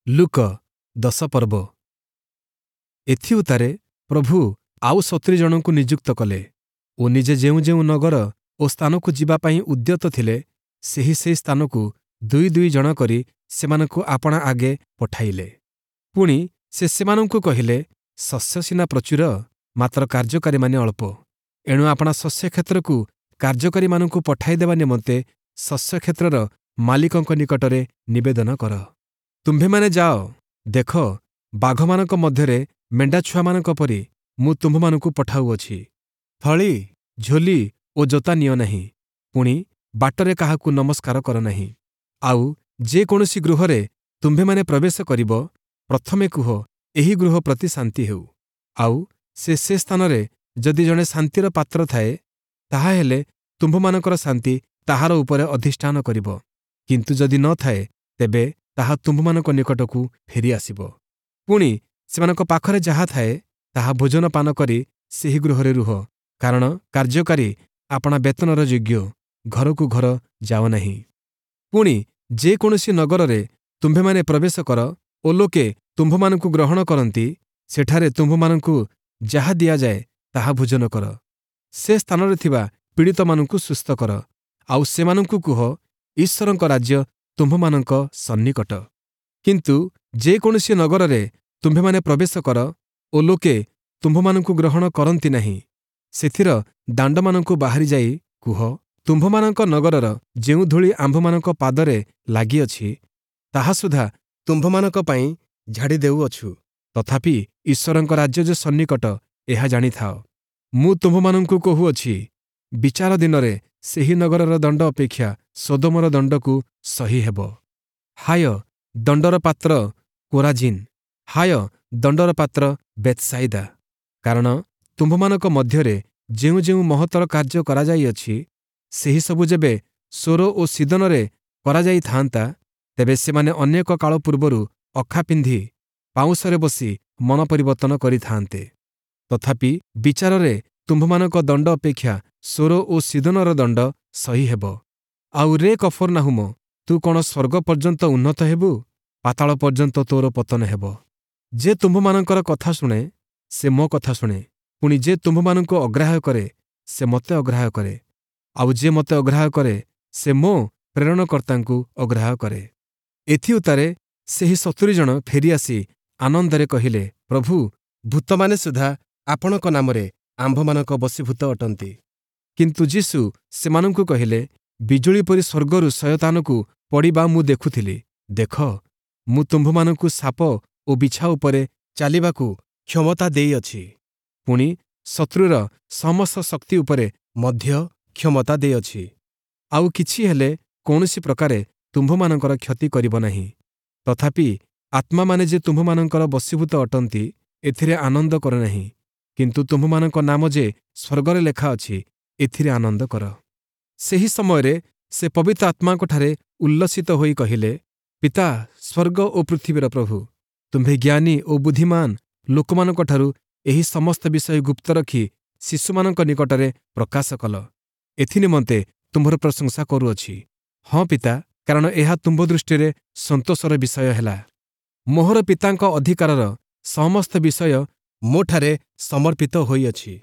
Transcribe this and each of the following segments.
ଲୂକ 10 ପର୍ବ। ଏଥିଉତ୍ତାରେ ପ୍ରଭୁ ଆଉ 70 ଜଣଙ୍କୁ ନିଯୁକ୍ତ କଲେ ଓ ନିଜେ ଯେଉଁ ଯେଉଁ ନଗର ଓ ସ୍ଥାନକୁ ଯିବା ପାଇଁ ଉଦ୍ୟତ ଥିଲେ, ସେହି ସେହି ସ୍ଥାନକୁ ଦୁଇ ଦୁଇ ଜଣ କରି ସେମାନଙ୍କୁ ଆପଣା ଆଗେ ପଠାଇଲେ। ପୁଣି ସେ ସେମାନଙ୍କୁ କହିଲେ, ଶସ୍ୟ ସିନା ପ୍ରଚୁର, ମାତ୍ର କାର୍ଯ୍ୟକାରୀମାନେ ଅଳ୍ପ। ଏଣୁ ଆପଣା ଶସ୍ୟକ୍ଷେତ୍ରକୁ କାର୍ଯ୍ୟକାରୀମାନଙ୍କୁ ପଠାଇଦେବା ନିମନ୍ତେ ଶସ୍ୟକ୍ଷେତ୍ରର ମାଲିକଙ୍କ ନିକଟରେ ନିବେଦନ କର। ତୁମ୍ଭେମାନେ ଯାଅ, ଦେଖ, ବାଘମାନଙ୍କ ମଧ୍ୟରେ ମେଣ୍ଢାଛୁଆମାନଙ୍କ ପରି ମୁଁ ତୁମ୍ଭମାନଙ୍କୁ ପଠାଉଅଛି। ଥଳୀ, ଝୋଲି ଓ ଜୋତା ନିଅ ନାହିଁ, ପୁଣି ବାଟରେ କାହାକୁ ନମସ୍କାର କର ନାହିଁ। ଆଉ ଯେ କୌଣସି ଗୃହରେ ତୁମ୍ଭେମାନେ ପ୍ରବେଶ କରିବ, ପ୍ରଥମେ କୁହ, ଏହି ଗୃହ ପ୍ରତି ଶାନ୍ତି ହେଉ। ଆଉ ସେ ସେ ସ୍ଥାନରେ ଯଦି ଜଣେ ଶାନ୍ତିର ପାତ୍ର ଥାଏ, ତାହାହେଲେ ତୁମ୍ଭମାନଙ୍କର ଶାନ୍ତି ତାହାର ଉପରେ ଅଧିଷ୍ଠାନ କରିବ; କିନ୍ତୁ ଯଦି ନ ଥାଏ, ତେବେ ତାହା ତୁମ୍ଭମାନଙ୍କ ନିକଟକୁ ଫେରିଆସିବ। ପୁଣି ସେମାନଙ୍କ ପାଖରେ ଯାହା ଥାଏ, ତାହା ଭୋଜନ ପାନ କରି ସେହି ଗୃହରେ ରୁହ, କାରଣ କାର୍ଯ୍ୟକାରୀ ଆପଣା ବେତନର ଯୋଗ୍ୟ। ଘରକୁ ଘର ଯାଅ ନାହିଁ। ପୁଣି ଯେ କୌଣସି ନଗରରେ ତୁମ୍ଭେମାନେ ପ୍ରବେଶ କର ଓ ଲୋକେ ତୁମ୍ଭମାନଙ୍କୁ ଗ୍ରହଣ କରନ୍ତି, ସେଠାରେ ତୁମ୍ଭମାନଙ୍କୁ ଯାହା ଦିଆଯାଏ, ତାହା ଭୋଜନ କର। ସେ ସ୍ଥାନରେ ଥିବା ପୀଡ଼ିତମାନଙ୍କୁ ସୁସ୍ଥ କର, ଆଉ ସେମାନଙ୍କୁ କୁହ, ଈଶ୍ୱରଙ୍କ ରାଜ୍ୟ ତୁମ୍ଭମାନଙ୍କ ସନ୍ନିକଟ। କିନ୍ତୁ ଯେ କୌଣସି ନଗରରେ ତୁମ୍ଭେମାନେ ପ୍ରବେଶ କର ଓ ଲୋକେ ତୁମ୍ଭମାନଙ୍କୁ ଗ୍ରହଣ କରନ୍ତି ନାହିଁ, ସେଥିର ଦାଣ୍ଡମାନଙ୍କୁ ବାହାରି ଯାଇ କୁହ, ତୁମ୍ଭମାନଙ୍କ ନଗରର ଯେଉଁ ଧୂଳି ଆମ୍ଭମାନଙ୍କ ପାଦରେ ଲାଗିଅଛି, ତାହା ସୁଦ୍ଧା ତୁମ୍ଭମାନଙ୍କ ପାଇଁ ଝାଡ଼ି ଦେଉଅଛୁ। ତଥାପି ଈଶ୍ୱରଙ୍କ ରାଜ୍ୟ ଯେ ସନ୍ନିକଟ, ଏହା ଜାଣିଥାଅ। ମୁଁ ତୁମ୍ଭମାନଙ୍କୁ କହୁଅଛି, ବିଚାର ଦିନରେ ସେହି ନଗରର ଦଣ୍ଡ ଅପେକ୍ଷା ସଦୋମର ଦଣ୍ଡକୁ ସହି ହେବ। ହାୟ ଦଣ୍ଡର ପାତ୍ର କୋରାଜିନ୍! ହାୟ ଦଣ୍ଡର ପାତ୍ର ବେଥ୍‌ସାଇଦା! କାରଣ ତୁମ୍ଭମାନଙ୍କ ମଧ୍ୟରେ ଯେଉଁ ଯେଉଁ ମହତ୍ତର କାର୍ଯ୍ୟ କରାଯାଇଅଛି, ସେହିସବୁ ଯେବେ ସୋର ଓ ସୀଦୋନରେ କରାଯାଇଥାନ୍ତା, ତେବେ ସେମାନେ ଅନେକ କାଳ ପୂର୍ବରୁ ଅଖା ପିନ୍ଧି ପାଉଁଶରେ ବସି ମନ ପରିବର୍ତ୍ତନ କରିଥାନ୍ତେ। ତଥାପି ବିଚାରରେ ତୁମ୍ଭମାନଙ୍କ ଦଣ୍ଡ ଅପେକ୍ଷା ସୋର ଓ ସୀଦୋନର ଦଣ୍ଡ ସହି ହେବ। ଆଉ ରେ କଫର୍ନାହୂମ, ତୁ କ'ଣ ସ୍ୱର୍ଗ ପର୍ଯ୍ୟନ୍ତ ଉନ୍ନତ ହେବୁ? ପାତାଳ ପର୍ଯ୍ୟନ୍ତ ତୋର ପତନ ହେବ। ଯେ ତୁମ୍ଭମାନଙ୍କର କଥା ଶୁଣେ, ସେ ମୋ କଥା ଶୁଣେ। ପୁଣି ଯେ ତୁମ୍ଭମାନଙ୍କୁ ଅଗ୍ରାହ୍ୟ କରେ, ସେ ମୋତେ ଅଗ୍ରାହ୍ୟ କରେ। ଆଉ ଯେ ମୋତେ ଅଗ୍ରାହ୍ୟ କରେ, ସେ ମୋ ପ୍ରେରଣକର୍ତ୍ତାଙ୍କୁ ଅଗ୍ରାହ୍ୟ କରେ। ଏଥିଉତ୍ତାରେ ସେହି 70 ଜଣ ଫେରିଆସି ଆନନ୍ଦରେ କହିଲେ, ପ୍ରଭୁ, ଭୂତମାନେ ସୁଦ୍ଧା ଆପଣଙ୍କ ନାମରେ ଆମ୍ଭମାନଙ୍କ ବଶୀଭୂତ ଅଟନ୍ତି। କିନ୍ତୁ ଯୀଶୁ ସେମାନଙ୍କୁ କହିଲେ, ବିଜୁଳି ପରି ସ୍ୱର୍ଗରୁ ଶୟତାନକୁ ପଡ଼ିବା ମୁଁ ଦେଖୁଥିଲି। ଦେଖ, ମୁଁ ତୁମ୍ଭମାନଙ୍କୁ ସାପ ଓ ବିଛା ଉପରେ ଚାଲିବାକୁ କ୍ଷମତା ଦେଇଅଛି, ପୁଣି ଶତ୍ରୁର ସମସ୍ତ ଶକ୍ତି ଉପରେ ମଧ୍ୟ କ୍ଷମତା ଦେଇଅଛି। ଆଉ କିଛି ହେଲେ କୌଣସି ପ୍ରକାରେ ତୁମ୍ଭମାନଙ୍କର କ୍ଷତି କରିବ ନାହିଁ। ତଥାପି ଆତ୍ମାମାନେ ଯେ ତୁମ୍ଭମାନଙ୍କର ବଶୀଭୂତ ଅଟନ୍ତି, ଏଥିରେ ଆନନ୍ଦ କର ନାହିଁ, କିନ୍ତୁ ତୁମ୍ଭମାନଙ୍କ ନାମ ଯେ ସ୍ୱର୍ଗରେ ଲେଖା ଅଛି, ଏଥିରେ ଆନନ୍ଦ କର। ସେହି ସମୟରେ ସେ ପବିତ୍ର ଆତ୍ମାଙ୍କଠାରେ ଉଲ୍ଲସିତ ହୋଇ କହିଲେ, ପିତା, ସ୍ୱର୍ଗ ଓ ପୃଥିବୀର ପ୍ରଭୁ, ତୁମ୍ଭେ ଜ୍ଞାନୀ ଓ ବୁଦ୍ଧିମାନ ଲୋକମାନଙ୍କଠାରୁ ଏହି ସମସ୍ତ ବିଷୟ ଗୁପ୍ତ ରଖି ଶିଶୁମାନଙ୍କ ନିକଟରେ ପ୍ରକାଶ କଲ। ଏଥିନିମନ୍ତେ ତୁମ୍ଭର ପ୍ରଶଂସା କରୁଅଛି। ହଁ ପିତା, କାରଣ ଏହା ତୁମ୍ଭ ଦୃଷ୍ଟିରେ ସନ୍ତୋଷର ବିଷୟ ହେଲା। ମୋହର ପିତାଙ୍କ ଅଧିକାରର ସମସ୍ତ ବିଷୟ ମୋଠାରେ ସମର୍ପିତ ହୋଇଅଛି।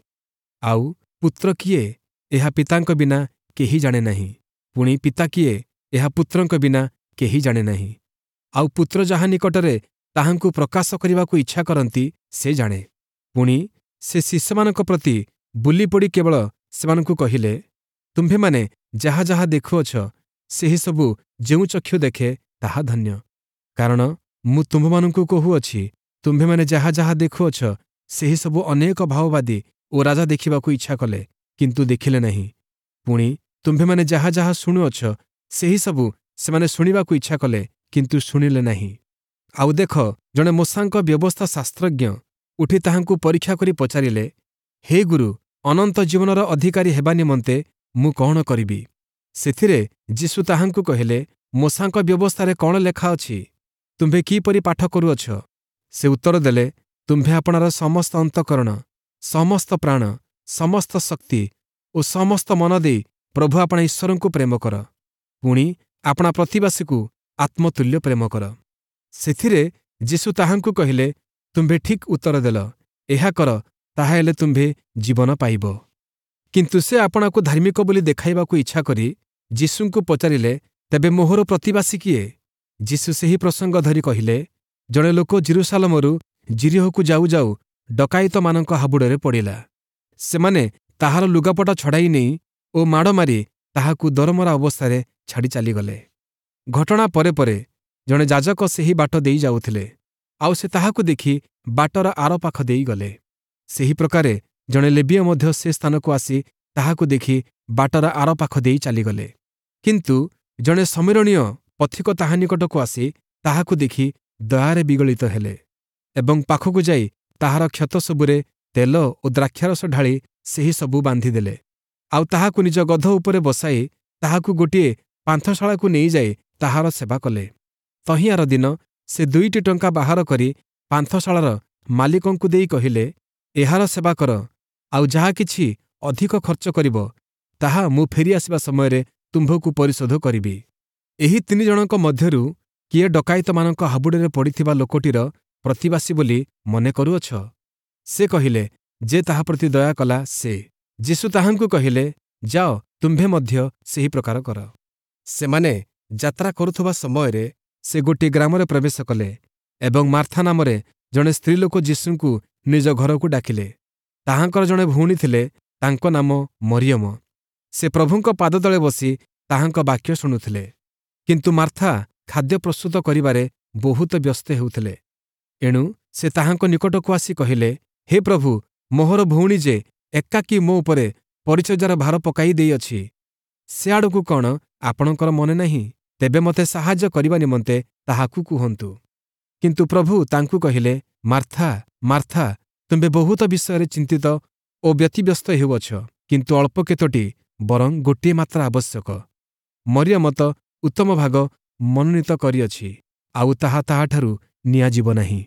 ଆଉ ପୁତ୍ର କିଏ, ଏହା ପିତାଙ୍କ ବିନା କେହି ଜାଣେ ନାହିଁ। ପୁଣି ପିତା କିଏ, ଏହା ପୁତ୍ରଙ୍କ ବିନା କେହି ଜାଣେ ନାହିଁ। ଆଉ ପୁତ୍ର ଯାହା ନିକଟରେ ତାହାଙ୍କୁ ପ୍ରକାଶ କରିବାକୁ ଇଚ୍ଛା କରନ୍ତି, ସେ ଜାଣେ। ପୁଣି ସେ ଶିଷ୍ୟମାନଙ୍କ ପ୍ରତି ବୁଲିପଡ଼ି କେବଳ ସେମାନଙ୍କୁ କହିଲେ, ତୁମ୍ଭେମାନେ ଯାହା ଯାହା ଦେଖୁଅଛ, ସେହିସବୁ ଯେଉଁ ଚକ୍ଷୁ ଦେଖେ, ତାହା ଧନ୍ୟ। କାରଣ ମୁଁ ତୁମ୍ଭମାନଙ୍କୁ କହୁଅଛି, ତୁମ୍ଭେମାନେ ଯାହା ଯାହା ଦେଖୁଅଛ, ସେହିସବୁ ଅନେକ ଭାବବାଦୀ ଓ ରାଜା ଦେଖିବାକୁ ଇଚ୍ଛା କଲେ, କିନ୍ତୁ ଦେଖିଲେ ନାହିଁ। ପୁଣି ତୁମ୍ଭେମାନେ ଯାହା ଯାହା ଶୁଣୁଅଛ, ସେହିସବୁ ସେମାନେ ଶୁଣିବାକୁ ଇଚ୍ଛା କଲେ, କିନ୍ତୁ ଶୁଣିଲେ ନାହିଁ। ଆଉ ଦେଖ, ଜଣେ ମୋଶାଙ୍କ ବ୍ୟବସ୍ଥା ଶାସ୍ତ୍ରଜ୍ଞ ଉଠି ତାହାଙ୍କୁ ପରୀକ୍ଷା କରି ପଚାରିଲେ, ହେ ଗୁରୁ, ଅନନ୍ତ ଜୀବନର ଅଧିକାରୀ ହେବା ନିମନ୍ତେ ମୁଁ କ'ଣ କରିବି? ସେଥିରେ ଯୀଶୁ ତାହାଙ୍କୁ କହିଲେ, ମୋଶାଙ୍କ ବ୍ୟବସ୍ଥାରେ କ'ଣ ଲେଖା ଅଛି? ତୁମ୍ଭେ କିପରି ପାଠ କରୁଅଛ? ସେ ଉତ୍ତର ଦେଲେ, ତୁମ୍ଭେ ଆପଣାର ସମସ୍ତ ଅନ୍ତଃକରଣ, ସମସ୍ତ ପ୍ରାଣ, ସମସ୍ତ ଶକ୍ତି ଓ ସମସ୍ତ ମନ ଦେଇ ପ୍ରଭୁ ଆପଣା ଈଶ୍ୱରଙ୍କୁ ପ୍ରେମ କର। ପୁଣି ଆପଣା ପ୍ରତିବାସୀକୁ ଆତ୍ମତୁଲ୍ୟ ପ୍ରେମ କର। ସେଥିରେ ଯୀଶୁ ତାହାଙ୍କୁ କହିଲେ, ତୁମ୍ଭେ ଠିକ୍ ଉତ୍ତର ଦେଲ, ଏହା କର, ତାହାହେଲେ ତୁମ୍ଭେ ଜୀବନ ପାଇବ। କିନ୍ତୁ ସେ ଆପଣାକୁ ଧାର୍ମିକ ବୋଲି ଦେଖାଇବାକୁ ଇଚ୍ଛା କରି ଯୀଶୁଙ୍କୁ ପଚାରିଲେ, ତେବେ ମୋହର ପ୍ରତିବାସୀ କିଏ? ଯୀଶୁ ସେହି ପ୍ରସଙ୍ଗ ଧରି କହିଲେ, ଜଣେ ଲୋକ ଯିରୂଶାଲମରୁ ଯିରୀହୋକୁ ଯାଉ ଯାଉ ଡକାୟତମାନଙ୍କ ହାବୁଡ଼ରେ ପଡ଼ିଲା। ସେମାନେ ତାହାର ଲୁଗାପଟା ଛଡ଼ାଇ ନେଇ ଓ ମାଡ଼ ମାରି ତାହାକୁ ଦରମରା ଅବସ୍ଥାରେ ଛାଡ଼ି ଚାଲିଗଲେ। ଘଟଣା ପରେ ପରେ ଜଣେ ଯାଜକ ସେହି ବାଟ ଦେଇ ଯାଉଥିଲେ, ଆଉ ସେ ତାହାକୁ ଦେଖି ବାଟର ଆରପାଖ ଦେଇ ଗଲେ। ସେହି ପ୍ରକାରେ ଜଣେ ଲେବୀୟ ମଧ୍ୟ ସେ ସ୍ଥାନକୁ ଆସି ତାହାକୁ ଦେଖି ବାଟର ଆରପାଖ ଦେଇ ଚାଲିଗଲେ। କିନ୍ତୁ ଜଣେ ଶମିରୋଣୀୟ ପଥିକ ତାହା ନିକଟକୁ ଆସି ତାହାକୁ ଦେଖି ଦୟାରେ ବିଗଳିତ ହେଲେ ଏବଂ ପାଖକୁ ଯାଇ ତାହାର କ୍ଷତ ସବୁରେ ତେଲ ଓ ଦ୍ରାକ୍ଷାରସ ଢାଳି ସେହି ସବୁ ବାନ୍ଧିଦେଲେ। ଆଉ ତାହାକୁ ନିଜ ଗଧ ଉପରେ ବସାଇ ତାହାକୁ ଗୋଟିଏ ପାନ୍ଥଶାଳାକୁ ନେଇଯାଇ ତାହାର ସେବା କଲେ। ତହିଁଆର ଦିନ ସେ 2ଟି ଟଙ୍କା ବାହାର କରି ପାନ୍ଥଶାଳାର ମାଲିକଙ୍କୁ ଦେଇ କହିଲେ, ଏହାର ସେବା କର, ଆଉ ଯାହା କିଛି ଅଧିକ ଖର୍ଚ୍ଚ କରିବ ତାହା ମୁଁ ଫେରିଆସିବା ସମୟରେ ତୁମ୍ଭକୁ ପରିଶୋଧ କରିବି। ଏହି 3 ଜଣଙ୍କ ମଧ୍ୟରୁ କିଏ ଡକାୟତମାନଙ୍କ ହାବୁଡ଼ରେ ପଡ଼ିଥିବା ଲୋକଟିର ପ୍ରତିବାସୀ ବୋଲି ମନେ କରୁଅଛ? ସେ କହିଲେ, ଯେ ତାହା ପ୍ରତି ଦୟା କଲା ସେ। ଯୀଶୁ ତାହାଙ୍କୁ କହିଲେ, ଯାଅ, ତୁମ୍ଭେ ମଧ୍ୟ ସେହି ପ୍ରକାର କର। ସେମାନେ ଯାତ୍ରା କରୁଥିବା ସମୟରେ ସେ ଗୋଟିଏ ଗ୍ରାମରେ ପ୍ରବେଶ କଲେ ଏବଂ ମାର୍ଥା ନାମରେ ଜଣେ ସ୍ତ୍ରୀଲୋକ ଯୀଶୁଙ୍କୁ ନିଜ ଘରକୁ ଡାକିଲେ। ତାହାଙ୍କର ଜଣେ ଭଉଣୀ ଥିଲେ, ତାଙ୍କ ନାମ ମରିୟମ। ସେ ପ୍ରଭୁଙ୍କ ପାଦତଳେ ବସି ତାହାଙ୍କ ବାକ୍ୟ ଶୁଣୁଥିଲେ। କିନ୍ତୁ ମାର୍ଥା ଖାଦ୍ୟ ପ୍ରସ୍ତୁତ କରିବାରେ ବହୁତ ବ୍ୟସ୍ତ ହେଉଥିଲେ। ଏଣୁ ସେ ତାହାଙ୍କ ନିକଟକୁ ଆସି କହିଲେ, ହେ ପ୍ରଭୁ, ମୋହର ଭଉଣୀ ଯେ ଏକାକୀ ମୋ ଉପରେ ପରିଚର୍ଯ୍ୟାର ଭାର ପକାଇ ଦେଇଅଛି, ସେ ଆଡ଼କୁ କ'ଣ ଆପଣଙ୍କର ମନେ ନାହିଁ? ତେବେ ମୋତେ ସାହାଯ୍ୟ କରିବା ନିମନ୍ତେ ତାହାକୁ କୁହନ୍ତୁ। କିନ୍ତୁ ପ୍ରଭୁ ତାଙ୍କୁ କହିଲେ, ମାର୍ଥା, ମାର୍ଥା, ତୁମ୍ଭେ ବହୁତ ବିଷୟରେ ଚିନ୍ତିତ ଓ ବ୍ୟତିବ୍ୟସ୍ତ ହେଉଅଛ, କିନ୍ତୁ ଅଳ୍ପ କେତୋଟି ବରଂ ଗୋଟିଏ ମାତ୍ର ଆବଶ୍ୟକ। ମରିୟମ ତ ଉତ୍ତମ ଭାଗ ମନୋନୀତ କରିଅଛି, ଆଉ ତାହା ତାହାଠାରୁ ନିଆଯିବ ନାହିଁ।